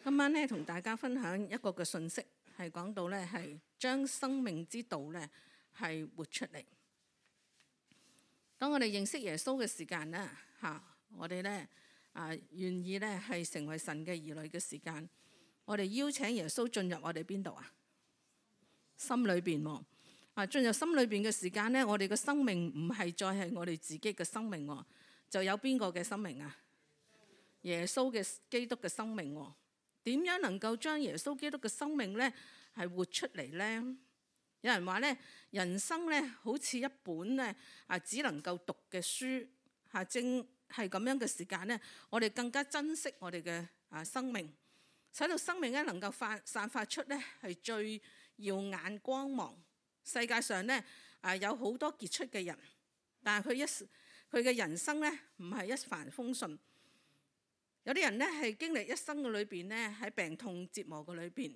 今晚咧同大家分享一個嘅信息，係講到咧係將生命之道咧係活出嚟。當我哋認識耶穌嘅時間咧我哋咧願意咧係成為神嘅兒女嘅時間，我哋邀請耶穌進入我哋邊度啊？心裏邊喎。進入心裏邊嘅時間咧，我哋嘅生命唔係再係我哋自己嘅生命喎，就有邊個嘅生命啊？耶穌嘅基督嘅生命喎。點樣能夠將耶穌基督嘅生命咧係活出嚟咧？有人話咧，人生咧好似一本咧只能夠讀嘅書正係咁樣嘅時間咧，我哋更加珍惜我哋嘅生命，使到生命咧能夠散發出咧係最耀眼光芒。世界上咧有好多傑出嘅人，但係佢嘅人生咧唔係一帆風順。有啲人咧係經歷一生嘅裏邊咧喺病痛折磨嘅裏邊，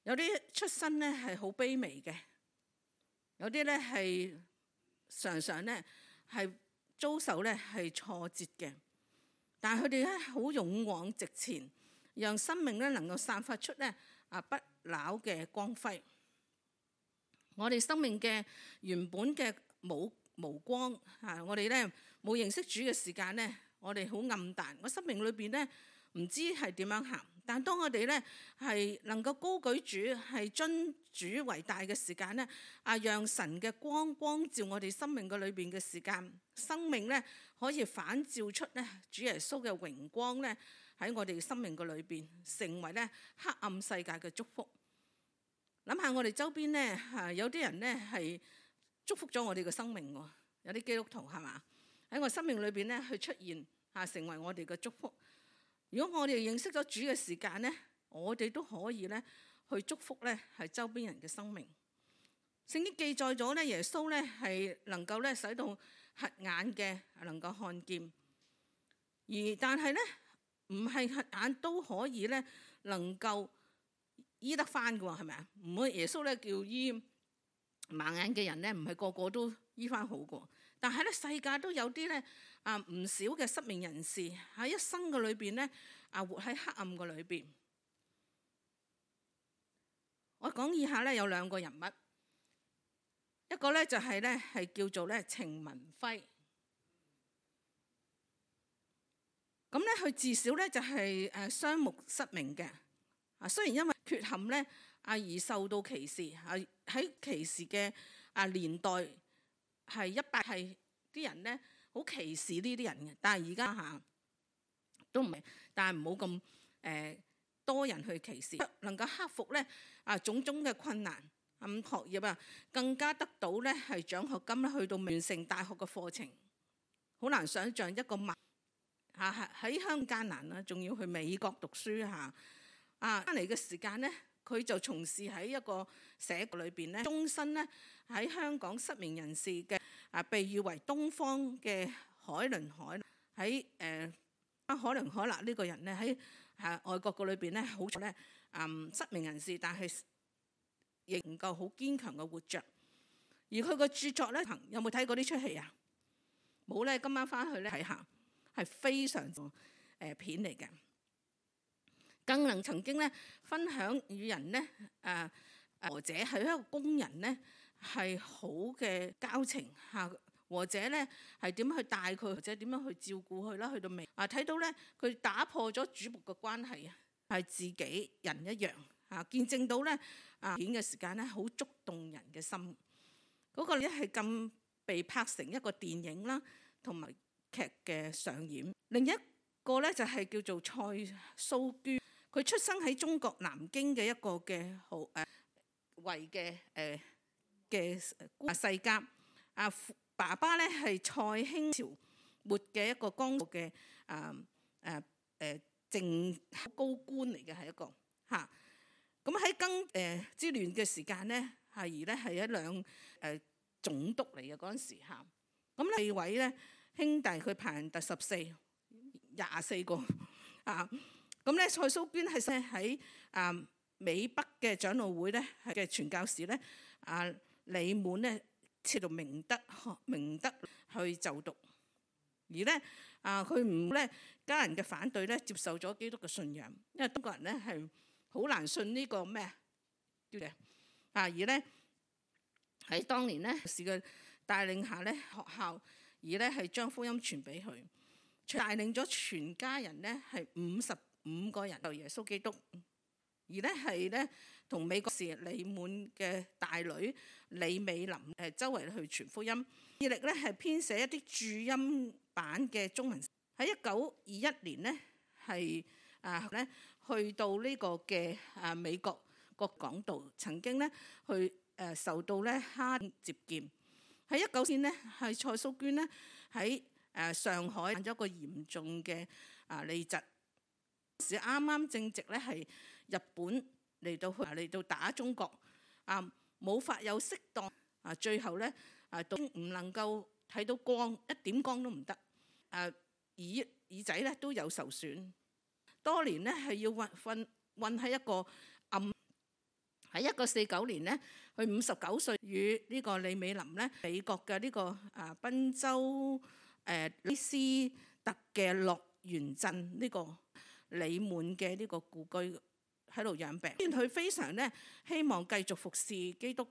有啲出身咧係好卑微嘅，有啲咧係常常咧係遭受咧係挫折嘅，但係佢哋咧好勇往直前，讓生命咧能夠散發出咧不朽嘅光輝。我哋生命嘅原本嘅無光我哋咧冇認識主嘅時間咧，我哋好暗淡，我生命裏邊咧唔知係點樣行。但當我哋咧係能夠高舉主，係尊主為大嘅時間咧，讓神嘅光照我哋生命嘅裏邊嘅時間，生命咧可以反照出咧主耶穌嘅榮光咧喺我哋生命嘅裏邊，成為咧黑暗世界嘅祝福。諗下我哋周邊咧有啲人咧係祝福咗我哋嘅生命喎，有啲基督徒係嘛？喺我生命裏邊咧去出現成為我哋嘅祝福。如果我哋認識咗主嘅時間咧，我哋都可以咧去祝福咧係周邊人嘅生命。聖經記載咗咧，耶穌咧係能夠咧使到瞎眼嘅能夠看見，但係咧唔係瞎眼都可以咧能夠醫得翻嘅喎，係咪啊？唔會耶穌咧叫醫盲眼嘅人咧，唔係個個都醫翻好過。但係咧，世界都有啲咧唔少嘅失明人士喺一生嘅裏邊咧活喺黑暗嘅裏邊。我講以下咧有兩個人物，一個咧就係咧係叫做咧程文輝。咁咧佢自小咧就係雙目失明嘅。雖然因為缺陷咧而受到歧視，喺歧視嘅年代係啲人咧好歧視呢啲人嘅，但係而家都唔係，但係唔好咁多人去歧視，能夠克服咧種種嘅困難，學業更加得到咧係獎學金咧，去到完成大學嘅課程。好難想像一個喺香港艱難啦，仲要去美國讀書翻嚟嘅時間咧，佢就從事喺一個社區裏邊咧，終身咧喺香港失明人士嘅被譽為東方嘅海倫凱勒。喺海倫凱勒呢個人咧喺外國嘅裏邊咧，好彩咧失明人士，但係仍夠好堅強嘅活着。而佢個著作咧，有冇睇過呢出戲啊？冇咧，今晚翻去咧睇下，係非常片嚟嘅。更能曾經咧分享與人咧或者係一個工人咧係好嘅交情或者咧係點樣去帶佢，或者點樣去照顧佢啦。去到尾睇到咧佢打破咗主僕嘅關係係自己人一樣見證到咧片嘅時間咧好觸動人嘅心。嗰個咧係咁被拍成一個電影啦，同埋劇嘅上演。另一個咧就係叫做蔡蘇娟。佢出生喺中國南京嘅一個嘅維嘅世家。爸爸咧係蔡興朝末嘅一個江湖嘅正高官嚟嘅，係一個咁喺庚之亂嘅時間咧，係一兩總督嚟嘅嗰陣時咁四位咧兄弟，佢排行第14， 24個咁咧，蔡蘇娟係喺美北嘅長老會咧嘅傳教士咧李滿咧設到明德去就讀。而咧佢唔咧家人嘅反對咧，接受咗基督嘅信仰，因為中國人咧係好難信呢個咩叫嘅而咧喺當年咧是嘅帶領下咧學校，而咧係將福音傳俾佢，帶領咗全家人咧係55個人就耶穌基督，而咧係咧同美國士李滿嘅大女李美琳周圍去傳福音，致力咧係編寫一啲注音版嘅中文。喺1921年咧係咧去到呢個嘅美國個講道，曾經咧去受到咧哈接見。喺19年咧係蔡蘇娟咧喺上海患咗個嚴重嘅痢疾，時啱啱正值咧係日本嚟到打中國，冇法有適當最後咧都唔能夠睇到光，一點光都唔得，耳仔咧都有受損，多年咧係要困喺一個暗。喺1949年咧，佢59歲，與呢個李美琳咧，美國嘅呢個賓州利斯特嘅樂園鎮呢個李滿嘅呢個故居喺度養病。雖然佢非常咧希望繼續服侍基督，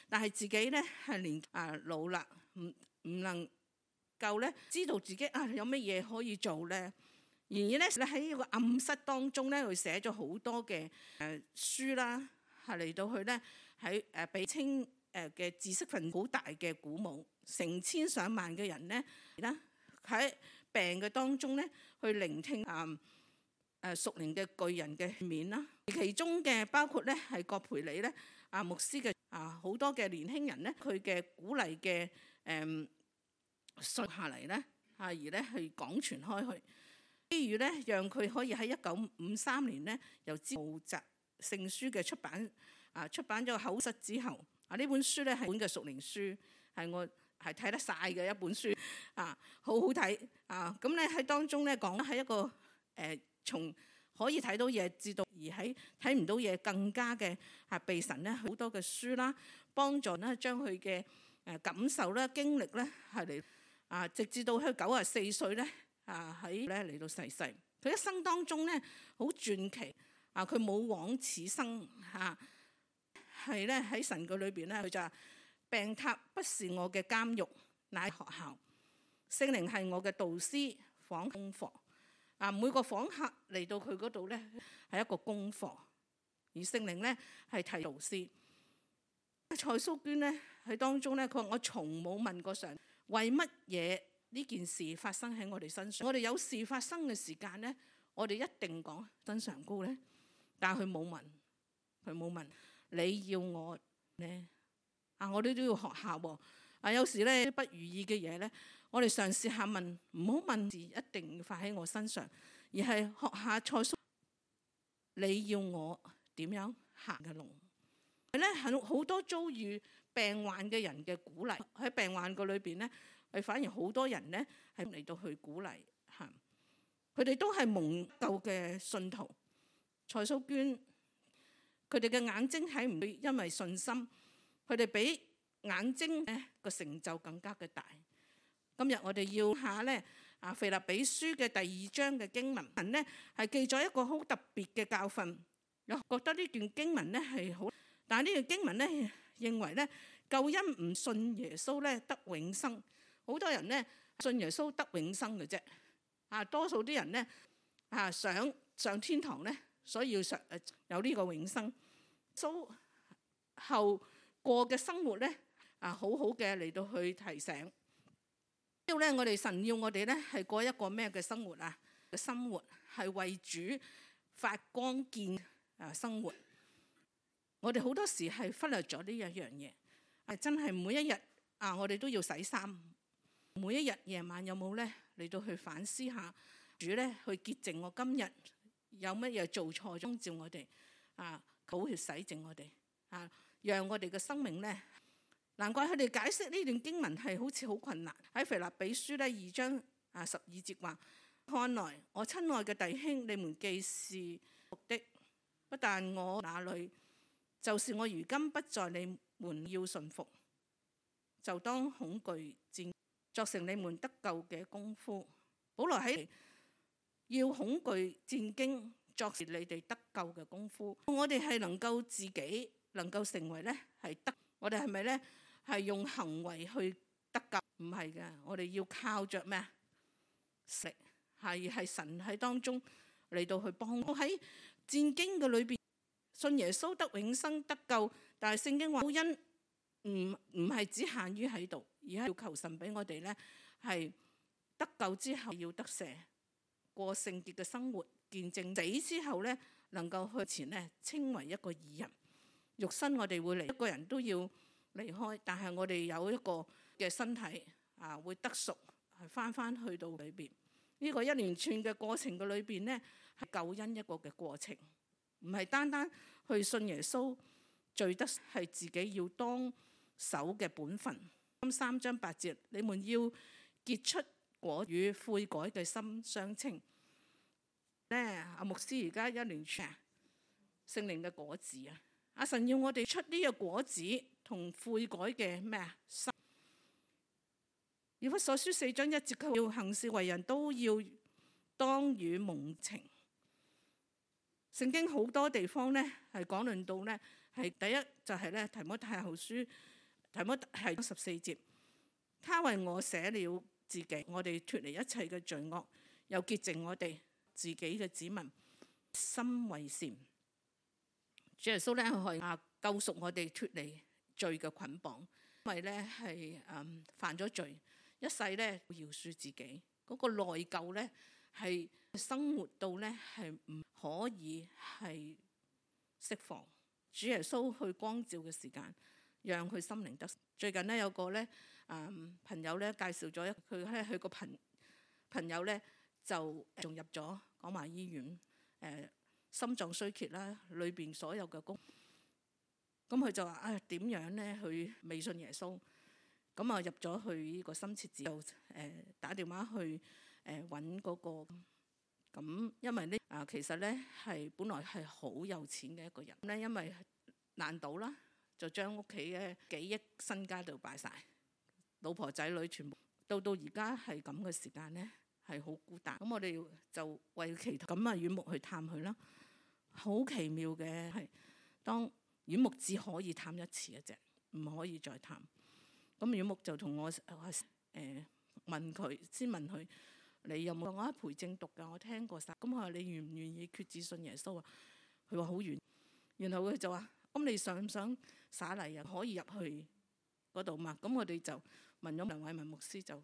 但係自己咧係年老啦，唔能夠咧知道自己有乜嘢可以做咧。然而咧喺呢個暗室當中咧，佢寫咗好多嘅書啦。嚟到去咧喺被稱嘅知識分子好大嘅鼓舞，成千上萬嘅人咧喺病嘅當中咧去聆聽屬靈嘅巨人嘅面啦。其中嘅包括咧係葛培理咧牧師嘅好多嘅年輕人咧，佢嘅鼓勵嘅信下嚟咧而咧去廣傳開去，機遇咧讓佢可以喺1953年咧由毛澤聖書嘅出版咗個口室之後，呢本書咧係本嘅屬靈書，係我係睇得晒嘅一本書，好好睇咁咧喺當中咧講係一個從可以睇到嘢至到而喺睇唔到嘢更加嘅被神咧好多嘅書啦，幫助咧將佢嘅感受啦經歷咧係嚟直至到佢94歲咧喺咧嚟到逝世。佢一生當中咧好傳奇。佢冇枉此生係咧喺神嘅裏邊咧，佢就話病榻不是我嘅監獄，乃學校；聖靈係我嘅導師，訪功課。每個訪客嚟到佢嗰度咧係一個功課，而聖靈咧係提導師。蔡蘇娟咧喺當中咧，佢話我從冇問過上為乜嘢呢件事發生喺我哋身上。我哋有事發生嘅時間咧，我哋一定講真常高咧。但係佢冇問你要我咧我哋都要學下喎。有時咧不如意嘅嘢咧，我哋嘗試下問，唔好問字一定要發喺我身上，而係學下蔡蘇你要我點樣行嘅路。咧係好多遭遇病患嘅人嘅鼓勵，喺病患個裏邊咧，係反而好多人咧係嚟到去鼓勵佢哋都係蒙救嘅信徒。蔡蘇娟佢哋嘅眼睛睇唔會因為信心，佢哋比眼睛個成就更加嘅大。今日我哋要下咧腓立比書嘅第2章嘅經文咧，係記咗一個好特別嘅教訓。我覺得呢段經文咧係好，但係呢段經文咧認為咧救恩唔信耶穌咧得永生。好多人咧信耶穌得永生嘅啫，多數啲人咧想上天堂咧。所以要有呢個永生，後過嘅生活咧好好嘅嚟到去提醒。呢度咧，我哋神要我哋咧係過一個咩嘅生活嘅生活係為主發光見生活。我哋好多時係忽略咗呢一樣嘢，真係每一日我哋都要洗衫。每一日夜晚有冇咧嚟到去反思下主咧去潔淨我今日。有乜嘢做錯，光照我哋寶血洗淨我哋讓我哋嘅生命咧。難怪佢哋解釋呢段經文係好似好困難。喺腓立比書咧2章12節話：看來我親愛嘅弟兄，你們既是服的，不但我那裏，就是我如今不在你們要順服，就當恐懼戰，作成你們得救嘅功夫，保羅喺要恐懼戰兢，作是你哋得救嘅功夫。我哋係能夠自己能夠成為咧係得，我哋係咪咧係用行為去得救？唔係嘅，我哋要靠着咩啊？食係神喺當中嚟到去幫我。喺戰兢嘅裏邊，信耶穌得永生得救，但係聖經話救恩唔係只限於喺度，而係要求神俾我哋咧係得救之後要得赦，過聖潔嘅生活，見證死之後咧能夠去前咧稱為一個義人。肉身我哋會嚟，一個人都要離開，但係我哋有一個嘅身體會得贖，係翻去到裏邊。呢個一連串嘅過程嘅裏邊呢，係救恩一個嘅過程，唔係單單去信耶穌，罪得係自己要當守嘅本分。3章8節，你們要結出果與悔改嘅心相稱。阿牧師而家一連串聖靈嘅果子啊，阿神要我哋出呢個果子同悔改嘅咩啊心。以弗所書4章1節，佢要行事為人都要當與蒙情。聖經好多地方咧係講論到咧，係第一就係咧提摩太後書，提摩太14節，他為我捨了自己，我哋脫離一切嘅罪惡，又潔淨我哋自己嘅子民，心為善。主耶穌咧係救贖我哋脫離罪嘅捆綁，因為咧係犯咗罪。一世咧饒恕自己，嗰個內疚咧係生活到咧係唔可以係釋放。主耶穌去光照嘅時間，讓佢心靈得。最近咧有個咧朋友咧介紹咗佢咧，佢個朋友咧就仲入咗廣華醫院，心臟衰竭啦，裏邊所有嘅功。咁佢就話點樣咧？佢未信耶穌。咁入咗去呢個深切治，就打電話去揾嗰個。咁因為呢其實咧係本來係好有錢嘅一個人咧，因為爛賭啦，就將屋企嘅幾億身家都敗晒，老婆仔女全部到而家係咁嘅時間咧，係好孤單。咁我哋就為祈禱，咁院牧去探佢啦。好奇妙嘅係，當院牧只可以探一次嘅啫，唔可以再探。咁院牧就同我問佢，先問佢你有冇？我喺培正讀㗎，我聽過晒。咁佢話你願唔願意決志信耶穌啊？佢話好願。然後佢就話：咁你想唔想灑禮啊？可以入去嗰度嘛？咁我哋就問咗梁偉文牧師，就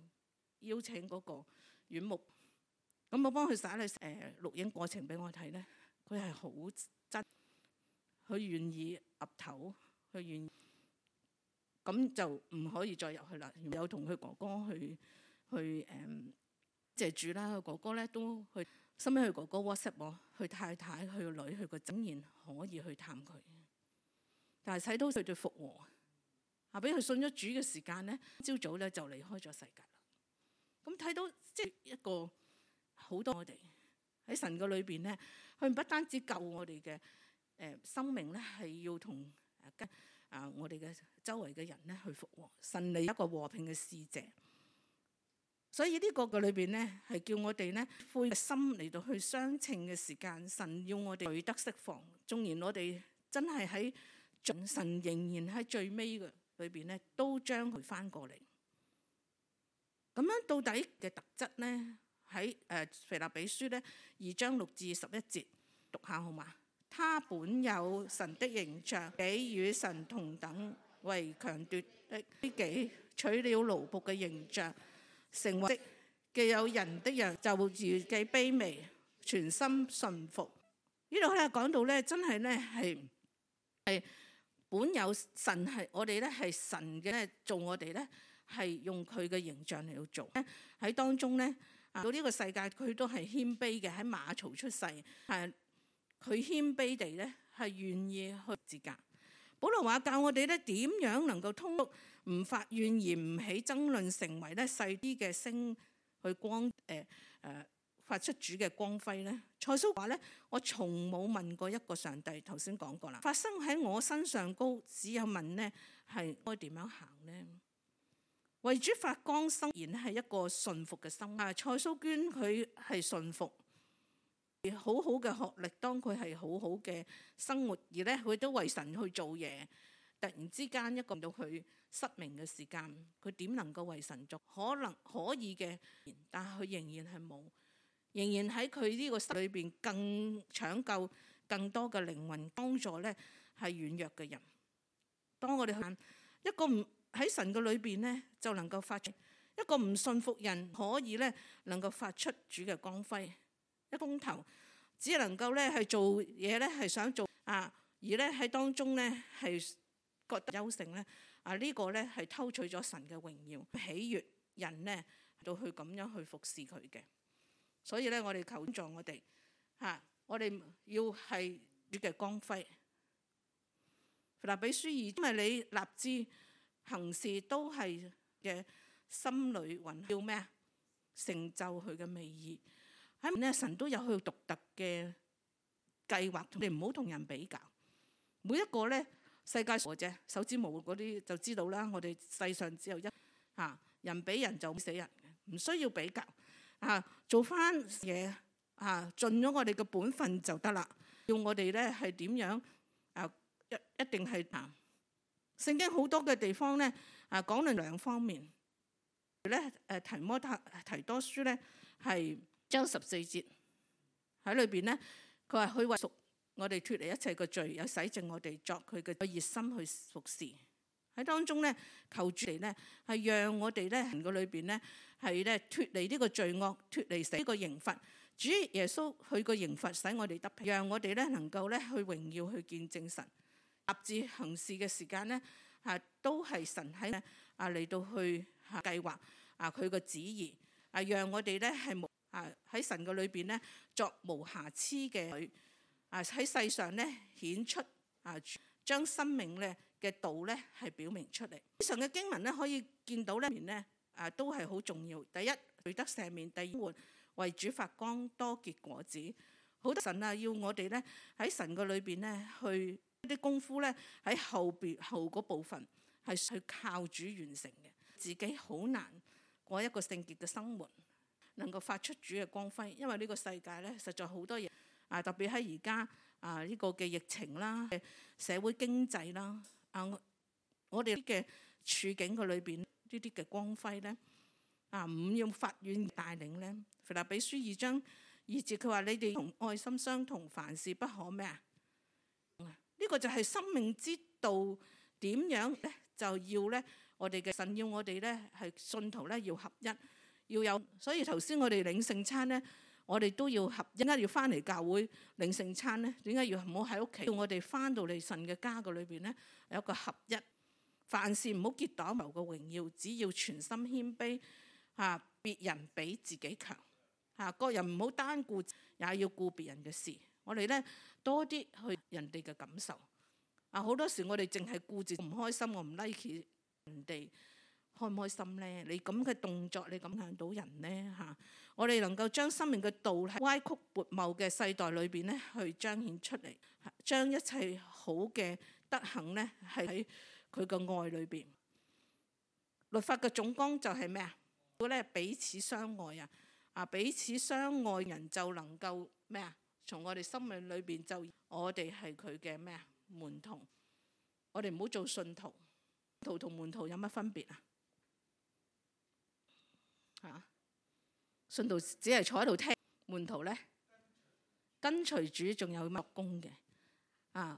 邀請嗰個院牧。咁我幫佢灑禮錄影過程俾我睇咧，佢係好真，佢願意岌頭，佢願意。咁就唔可以再入去啦。有同佢哥哥去謝主啦。佢哥哥咧都去，收尾佢哥哥 WhatsApp 我，佢太太、佢個女、佢個整然可以去探佢。但係睇到佢對復和，俾佢信咗主嘅時間咧，朝早咧就離開咗世界啦。咁睇到即係一個好多我哋喺神嘅裏邊咧，佢唔不單止救我哋嘅生命咧，係要同我哋嘅周圍嘅人咧去復和，神嚟一個和平嘅使者。所以呢個嘅裏邊咧，係叫我哋咧悔心嚟到去相稱嘅時間，神要我哋罪得釋放。縱然我哋真係喺神仍然喺最尾嘅裏邊咧，都將佢翻過嚟。咁樣到底嘅特質咧，喺腓立比書咧2章6至11節讀下好嘛？他本有神的形象，比與神同等為強奪的，自己取了奴僕嘅形象，成為既有人的樣，就如己卑微，全心順服。呢度咧講到咧，真係咧係本有神，係我哋咧係神嘅做，我哋咧係用佢嘅形象嚟到做。喺當中咧到呢個世界，佢都係謙卑嘅，喺馬槽出世，係。佢謙卑地咧，係願意去自格。保羅話教我哋咧點樣能夠通過唔發怨言、唔起爭論，成為咧細啲嘅星去光發出主嘅光輝咧。蔡蘇話咧：我從冇問過一個上帝，頭先講過啦，發生喺我身上高，只有問咧係該點樣行咧？為主發光生，然係一個順服嘅心。蔡蘇娟佢係順服，好好嘅學歷，當佢係好好嘅生活，而咧佢都為神去做嘢。突然之間一個到佢失明嘅時間，佢點能夠為神做？可能可以嘅，但係佢仍然係冇，仍然喺佢呢個心裏邊更搶救更多嘅靈魂，幫助咧係軟弱嘅人。當我哋去一個唔喺神嘅裏邊咧，就能夠發出一個唔信服人，可以咧能夠發出主嘅光輝。一公頭只能夠咧係做嘢咧係想做而咧喺當中咧係覺得優勝咧呢個咧係偷取咗神嘅榮耀，喜悅人咧到去咁樣去服侍佢嘅。所以咧我哋求助我哋我哋要係主嘅光輝。腓立比書2，因為你立志行事都係嘅心裏蘊要咩成就佢嘅美意。喺咧神都有佢獨特嘅計劃，你唔好同人比較。每一個咧世界上啫，手指模嗰啲就知道啦。我哋世上只有一人比人就死人嘅，唔需要比較做翻嘢盡咗我哋嘅本分就得啦。要我哋咧係點樣一定係聖經好多嘅地方咧講論兩方面咧。提多書咧係章14節喺裏邊咧，佢話佢為贖我哋脫離一切嘅罪，有洗淨我哋作佢嘅熱心去服侍。喺當中咧求主嚟咧係讓我哋咧人嘅裏邊咧係咧脫離呢個罪惡，脫離死呢個刑罰。主耶穌佢個刑罰使我哋得平，讓我哋咧能夠咧去榮耀去見證神。立志行事嘅時間咧都係神喺嚟到去計劃佢個旨意讓我哋咧係喺神嘅裏邊咧作無瑕疵嘅佢喺世上咧顯出將生命咧嘅道咧係表明出嚟。以上嘅經文咧可以見到咧面咧都係好重要。第一，罪得赦免；第二，為主發光，多結果子。好多神要我哋咧喺神嘅裏邊咧去啲功夫咧喺後嗰部分係去靠主完成嘅。自己好難過一個聖潔嘅生活，能夠發出主嘅光輝。因為呢個世界咧實在好多嘢特別喺而家呢個嘅疫情啦、社會經濟啦我哋嘅處境嘅裏邊呢啲嘅光輝咧唔用法院帶領咧。腓立比書2章2節佢話：你哋同愛心相同，凡事不可咩呢個就係生命之道。點樣咧就要咧我哋嘅神要我哋咧係信徒咧要合一，要有。所以頭先我哋領聖餐咧，我哋都要合一。點解要翻嚟教會領聖餐咧？點解要唔好喺屋企？要我哋翻到嚟神嘅家嘅裏邊咧有一個合一。凡事唔好結黨謀嘅榮耀，只要全心謙卑別人比自己強個人唔好單顧，也要顧別人嘅事。我哋咧多啲去人哋嘅感受好多時我哋淨係顧住唔開心，我唔 like 人哋開唔開心咧？你咁嘅動作，你咁影響到人咧我哋能夠將生命嘅道喺歪曲悖謬嘅世代裏邊咧去彰顯出嚟，將一切好嘅德行咧係喺佢嘅愛裏邊。律法嘅總綱就係咩要咧彼此相愛彼此相愛人就能夠咩從我哋生命裏邊就我哋係佢嘅咩門徒。我哋唔好做信徒，信徒同門徒有乜分別信徒只係坐喺度聽，門徒咧跟隨主，仲有乜工嘅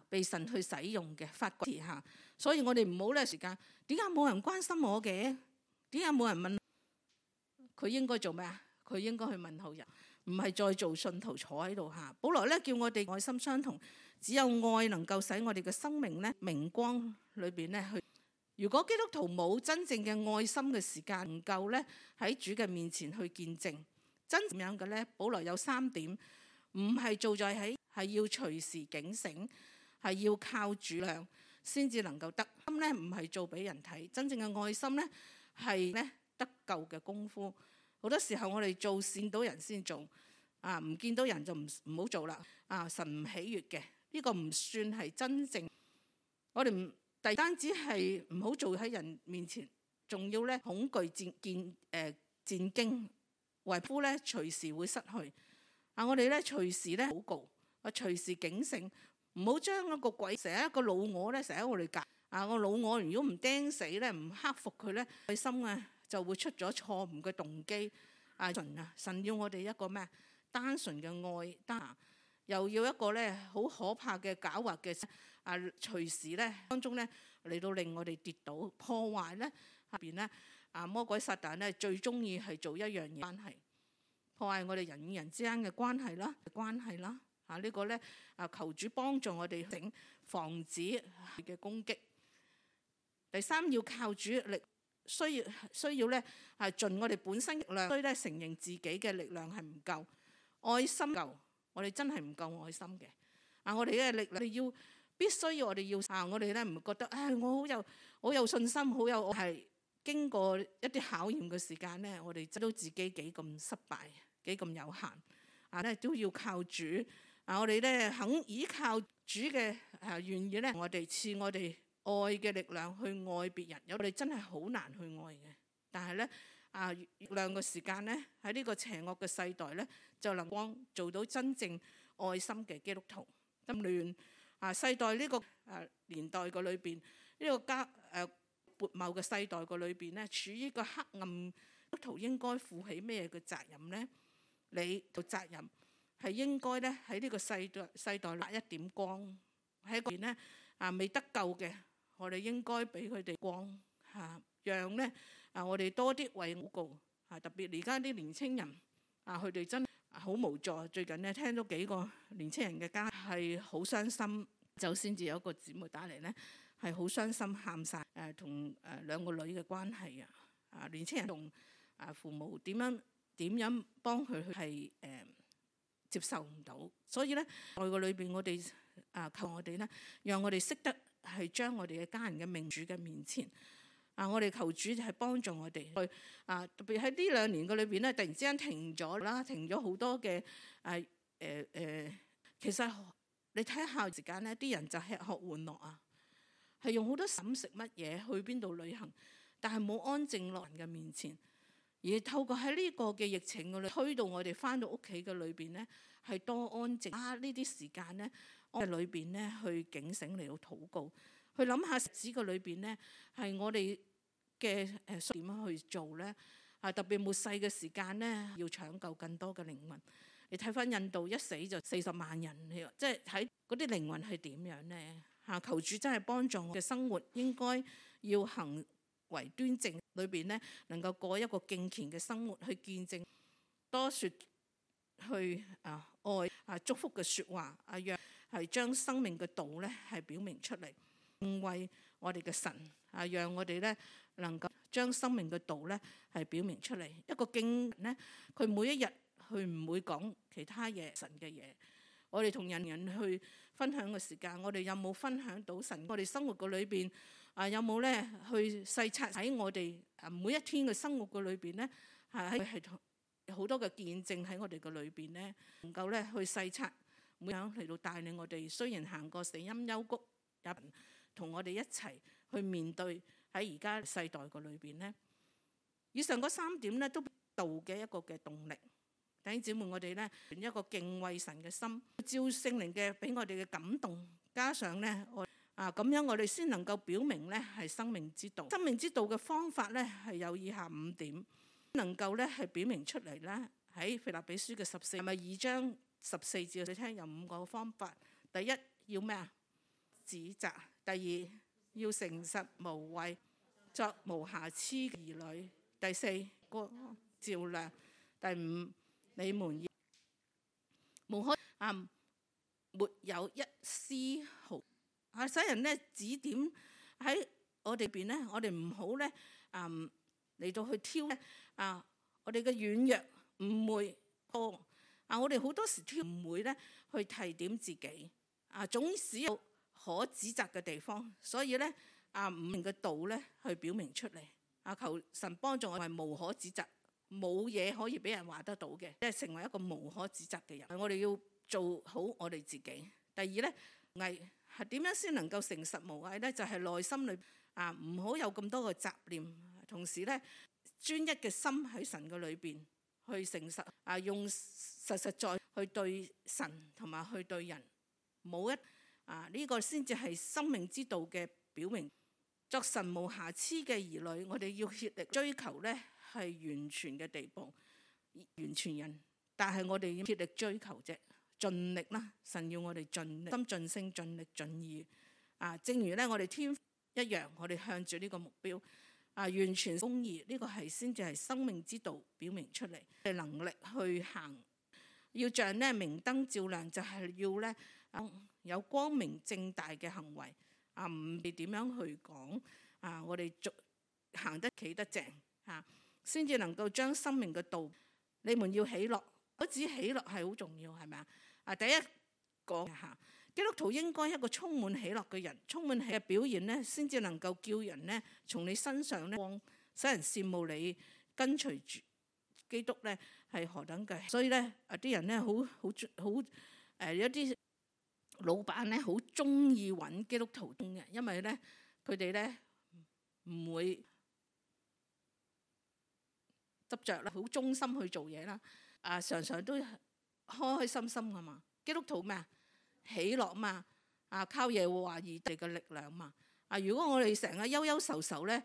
被神去使用嘅發掘下。所以我哋唔好咧時間點解冇人關心我嘅？點解冇人問佢應該做咩佢應該去問候人，唔係再做信徒坐喺度保羅咧叫我哋愛心相同，只有愛能夠使我哋嘅生命咧明光裏邊咧去。如果基督徒冇真正嘅愛心嘅時間，唔夠咧喺主嘅面前去見證真咁樣嘅咧。保羅有3點，唔係做在喺，係要隨時警醒，係要靠主量先至能夠得。心咧唔係做俾人睇，真正嘅愛心咧係咧得救嘅功夫。好多時候我哋做見到人先做唔見到人就唔好做啦神唔喜悅嘅呢個唔算係真正。我哋唔單止係唔好做喺人面前仲要咧恐懼戰驚，為夫咧隨時會失去。我哋咧隨時咧禱告，隨時警醒，唔好將一個鬼成日一個老我咧，成日喺我哋隔。個老我如果唔釘死咧，唔克服佢咧，內心就會出咗錯誤嘅動機。神要我哋一個咩？單純嘅愛，又要一個咧好可怕嘅狡猾嘅隨時咧當中咧嚟到令我哋跌倒破壞咧下邊咧魔鬼撒旦咧最中意係做一樣嘢，關係破壞我哋人與人之間嘅關係啦。呢個咧求主幫助我哋防止嘅攻擊。第三，要靠主力，需要咧盡我哋本身力量，所以咧承認自己嘅力量係唔夠，愛心夠，我哋真係唔夠愛心嘅。我哋嘅力量必須要我哋要我哋咧唔覺得我好有信心，我係經過一啲考驗嘅時間咧，我哋知道自己幾咁失敗，幾咁有限咧都要靠主。我哋咧肯依靠主嘅願意咧，我哋賜我哋愛嘅力量去愛別人。我哋真係好難去愛嘅，但係咧月亮嘅時間咧喺呢個邪惡嘅世代咧，就能光做到真正愛心嘅基督徒。咁亂世代呢個年代嘅裏邊，呢個撥謬嘅世代嘅裏邊咧，處於個黑暗，基督徒應該負起咩嘅責任咧？你嘅責任係應該咧喺呢個世代發一點光，喺嗰邊咧未得救嘅，我哋應該俾佢哋光讓咧我哋多啲為禱告特別而家啲年青人佢哋真係好無助。最近咧聽到幾個年青人嘅家係好傷心，就先至有一個姊妹打嚟咧係好傷心喊晒同兩個女嘅關係年青人同父母點樣幫佢係接受唔到，所以咧愛個裏邊我哋求我哋咧，讓我哋識得係將我哋嘅家人嘅命主嘅面前我哋求主係幫助我哋去特別喺呢2年嘅裏邊咧，突然之間停咗好多嘅其實你睇下時間咧，啲人就吃喝玩樂係用好多飲食乜嘢去邊度旅行，但係冇安靜落人嘅面前。而透過喺呢個嘅疫情嘅裏推到我哋翻到屋企嘅裏邊咧，係多安靜呢啲時間咧，我哋裏邊咧去警醒嚟到禱告，去諗下日子嘅裏邊咧係我哋嘅點樣去做咧特別末世嘅時間咧，要搶救更多嘅靈魂。你睇翻印度一死就40萬人，即係睇嗰啲靈魂係點樣咧求主真係幫助我嘅生活，應該要行為端正，裏邊咧能夠過一個敬虔嘅生活，去見證多說去愛祝福嘅說話讓係將生命嘅道咧係表明出嚟，敬畏我哋嘅神讓我哋咧能夠將生命嘅道咧係表明出嚟。一個敬咧，佢每一日佢唔會講其他嘢神嘅嘢。我哋同人去分享嘅時間，我哋有冇分享到神？我哋生活嘅裏邊有冇咧去細察喺我哋每一天嘅生活嘅裏邊咧係好多嘅見證喺我哋嘅裏邊咧，能夠咧去細察，每樣嚟到帶領我哋。雖然行過死蔭幽谷，也同我哋一齊去面對喺而家世代嘅裏邊咧。以上嗰3點咧都道嘅一個嘅動力。弟兄姊妹，我哋咧一個敬畏神嘅心，照聖靈嘅俾我哋嘅感動，加上咧咁樣我哋先能夠表明咧係生命之道。生命之道嘅方法咧係有以下5點，能夠咧係表明出嚟咧喺腓立比書嘅2章14節，你聽有5個方法。第一要咩啊？指責。第2要誠實無偽，作無瑕疵嘅兒女。第4個照亮。第5你們要無可沒有一絲毫使人咧指點喺我哋邊咧，我哋唔好咧嚟到去挑咧我哋嘅軟弱誤會多我哋好多時挑誤會咧去提點自己總是有可指責嘅地方，所以咧唔明嘅道咧去表明出嚟求神幫助我係無可指責。冇嘢可以俾人話得到嘅，即係成為一個無可指責嘅人。我哋要做好我哋自己。第二咧，偽係點樣先能夠誠實無偽咧？就係內心裏唔好有咁多嘅雜念，同時咧專一嘅心喺神嘅裏邊去誠實用實實在去對神同埋去對人，冇一呢個先至係生命之道嘅表明。作神無瑕疵嘅兒女，我哋要竭力追求咧係完全嘅地步，完全人。但係我哋要竭力追求啫，盡力啦。神要我哋盡力、心盡性、盡力盡意。正如咧我哋天父一樣，我哋向住呢個目標完全公義，呢個係先至係生命之道表明出嚟嘅能力去行。要像咧明燈照亮，就係要咧有光明正大嘅行為。唔係點樣去講我哋行得企得正先至能夠將生命嘅道。你們要喜樂，我指喜樂係好重要，係咪第一個基督徒應該一個充滿喜樂嘅人，充滿喜嘅表現咧，先至能夠叫人咧從你身上咧使人羨慕你跟隨住基督咧係何等嘅。所以咧啲人咧好有啲老闆咧好中意揾基督徒嘅，因為咧佢哋咧唔會執着啦，好忠心去做嘢啦。常常都開開心心噶嘛。基督徒咩喜樂嘛。靠耶和華而嚟嘅力量嘛。如果我哋成日憂憂愁愁咧，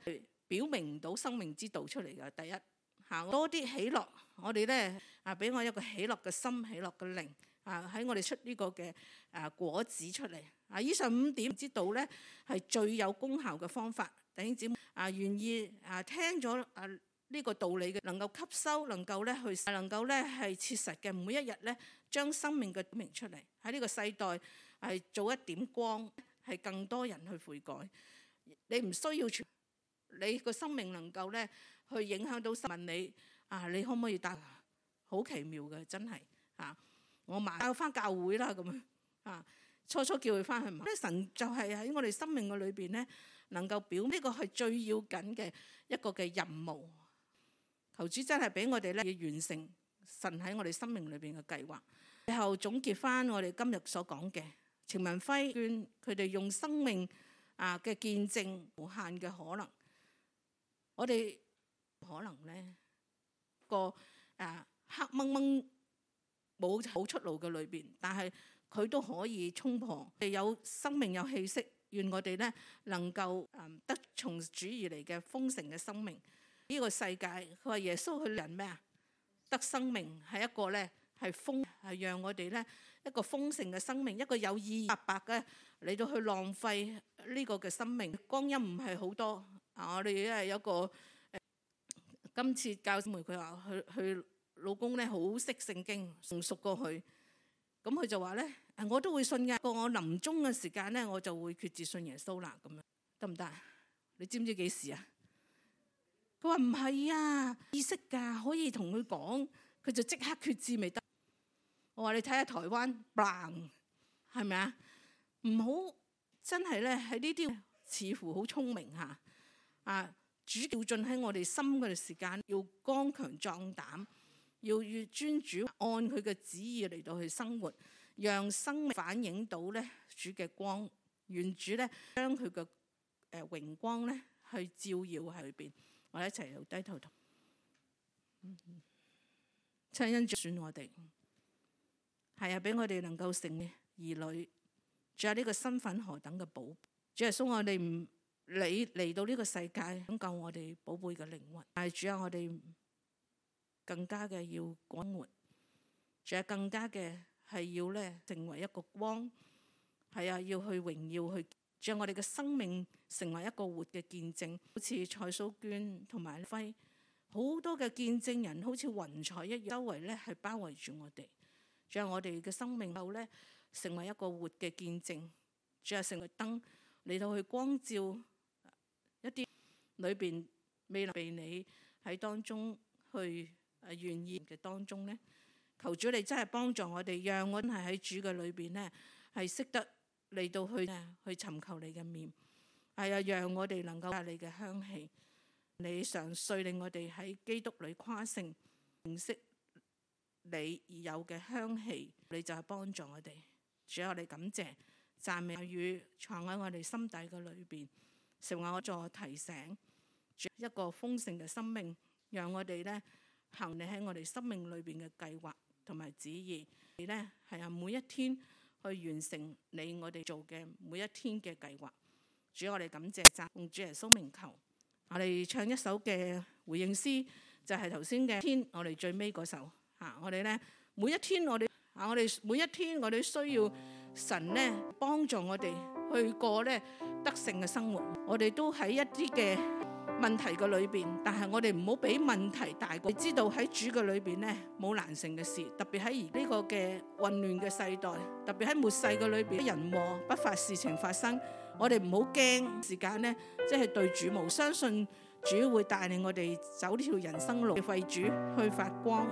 表明唔到生命之道出嚟嘅。第一多啲喜樂，我哋咧俾我一個喜樂嘅心，喜樂嘅靈。喺我哋出呢個嘅果子出嚟。以上5點之道咧係最有功效嘅方法。弟兄姊妹願意聽咗呢個道理嘅，能夠吸收，能夠咧係切實嘅，每一日咧將生命嘅表明出嚟。喺呢個世代係做一點光，係更多人去悔改。你唔需要你個生命能夠咧去影響到問你你可唔可以帶？好奇妙嘅，真係我帶翻教會啦咁初初叫佢翻去，神就係喺我哋生命嘅裏邊咧，能夠表呢個係最要緊嘅一個嘅任務。求主真係俾我哋咧要完成神喺我哋生命裏邊嘅計劃。最後總結翻我哋今日所講嘅，程文輝勸佢哋用生命嘅見證無限嘅可能。我哋可能咧個黑掹掹冇出路嘅裏邊，但係佢都可以衝破。有生命有氣息，願我哋咧能夠得從主而嚟嘅豐盛嘅生命。呢個世界佢話耶穌去人咩得生命係一個咧係讓我哋咧一個豐盛嘅生命，一個有意義白嘅嚟到去浪費呢個嘅生命。光陰唔係好多我哋有個今次教妹佢話佢老公咧好識聖經，仲熟過佢。咁佢就話咧我都會信㗎，過我臨終嘅時間咧我就會決志信耶穌啦。咁樣得唔得？你知唔知幾時佢話唔係意識㗎，可以同佢講，佢就即刻決志咪得。我話你睇下台灣 bang 係咪唔好真係咧喺呢啲似乎好聰明主要進喺我哋心嘅時間，要剛強壯膽，要越尊主按佢嘅旨意嚟到去生活，讓生命反映到咧主嘅光，願主咧將佢嘅榮光咧去照耀喺裏邊。我哋一齊又低頭同親恩主選我哋，係俾我哋能夠成為兒女。仲有呢個身份何等嘅寶！主耶穌，我哋唔理嚟到呢個世界拯救我哋寶貝嘅靈魂，但係主啊，我哋更加嘅要廣活，仲有更加嘅係要咧成為一個光，要去榮耀去。將我哋嘅生命成為一個活嘅見證，好似蔡蘇娟同埋輝，好多嘅見證人，好似雲彩一樣，周圍咧係包圍住我哋。將我哋嘅生命後咧，成為一個活嘅見證，仲有成為燈嚟到去光照一啲裏邊未能被你喺當中去願意嘅當中咧。求主你真係幫助我哋，讓我哋喺主嘅裏邊咧係識得嚟到去尋求你嘅面，讓我哋能夠帶你嘅香氣，你常歲令我哋喺基督裏誇勝，認識你而有嘅香氣，你就係幫助我哋。主啊，我哋感謝讚美語藏喺我哋心底嘅裏邊，成為我助提醒。一個豐盛嘅生命，讓我哋咧行你喺我哋生命裏邊嘅計劃同埋旨意，你咧係每一天去完成你我哋做嘅每一天嘅計劃。主，我哋感謝讚奉主耶穌名求。我哋唱一首嘅回應詩，就係頭先嘅天，我哋最尾嗰首嚇。我哋咧每一天我哋每一天我哋需要神咧幫助我哋去過咧得勝嘅生活。我哋都喺一啲嘅問題嘅裏邊，但係我哋唔好俾問題大過。你知道喺主嘅裏邊咧冇難成嘅事，特別喺而呢個嘅混亂嘅世代，特別喺末世嘅裏邊，人禍不法事情發生。我哋唔好驚時間呢，即係對主無相信，主會帶領我哋走呢條人生路，為主去發光。